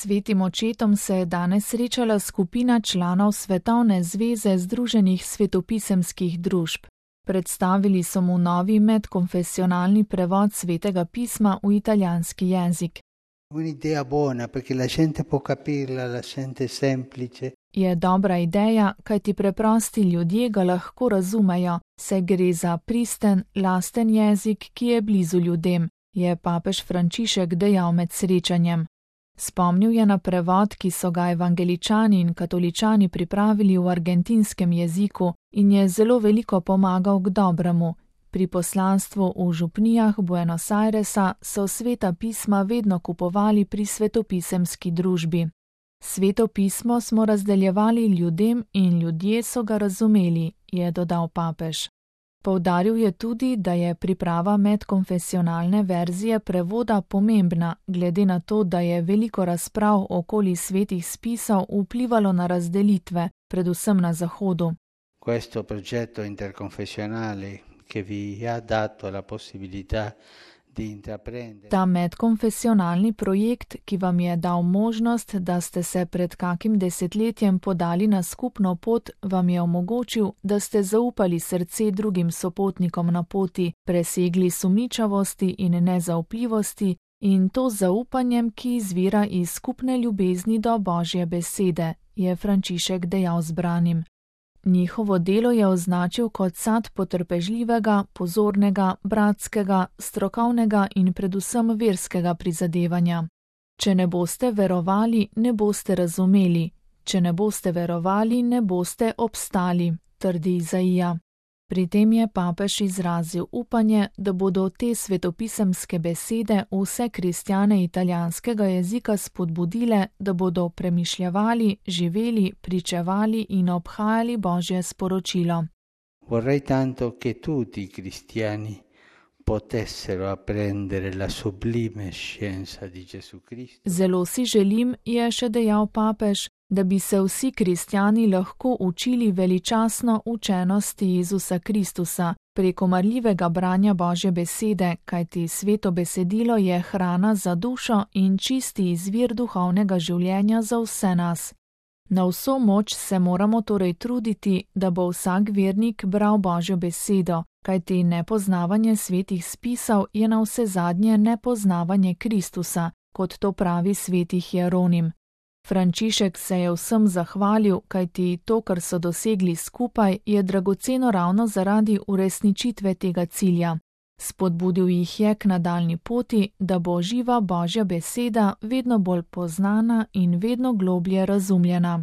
Svetim očetom se je danes srečala skupina članov Svetovne zveze Združenih svetopisemskih družb. Predstavili so mu novi medkonfesionalni prevod Svetega pisma v italijanski jezik. Un'idea buona perché la gente può capirla, la gente semplice. Je dobra ideja, kajti preprosti ljudje ga lahko razumejo, saj gre za pristen, lasten jezik, ki je blizu ljudem, je papež Frančišek dejal med srečanjem. Spomnil je na prevod, ki so ga evangeličani in katoličani pripravili v argentinskem jeziku in je zelo veliko pomagal k dobremu. Pri poslanstvu v župnijah Buenos Airesa so Sveta pisma vedno kupovali pri svetopisemski družbi. Sveto pismo smo razdeljevali ljudem in ljudje so ga razumeli, je dodal papež. Poudaril je tudi, da je priprava medkonfesionalne verzije prevoda pomembna, glede na to, da je veliko razprav okoli svetih spisov vplivalo na razdelitve, predvsem na Zahodu. Questo progetto interconfessionale che vi ha dato la possibilità di intraprendere. Ta medkonfesionalni projekt, ki vam je dal možnost, da ste se pred kakim desetletjem podali na skupno pot, vam je omogočil, da ste zaupali srce drugim sopotnikom na poti, presegli sumničavosti in nezaupljivosti in to z zaupanjem, ki izvira iz skupne ljubezni do Božje besede, je Frančišek dejal zbranim. Njihovo delo je označil kot sad potrpežljivega, pozornega, bratskega, strokovnega in predvsem verskega prizadevanja. Če ne boste verovali, ne boste razumeli. Če ne boste verovali, ne boste obstali, trdi Izaija. Pri tem je papež izrazil upanje, da bodo te svetopisemske besede vse kristjane italijanskega jezika spodbudile, da bodo premišljevali, živeli, pričevali in obhajali Božje sporočilo. Vorrei tanto che tutti i cristiani potessero apprendere la sublime scienza di Gesù Cristo. Zelo si želim, je še dejal papež, da bi se vsi kristjani lahko učili veličastno učenosti Jezusa Kristusa preko marljivega branja Božje besede, kajti sveto besedilo je hrana za dušo in čisti izvir duhovnega življenja za vse nas. Na vso moč se moramo torej truditi, da bo vsak vernik bral Božjo besedo, kajti nepoznavanje svetih spisov je navsezadnje nepoznavanje Kristusa, kot to pravi sveti Hieronim. Frančišek se je vsem zahvalil, kajti to, kar so dosegli skupaj, je dragoceno ravno zaradi uresničitve tega cilja. Spodbudil jih je k nadaljnji poti, da bo živa Božja beseda vedno bolj poznana in vedno globlje razumljena.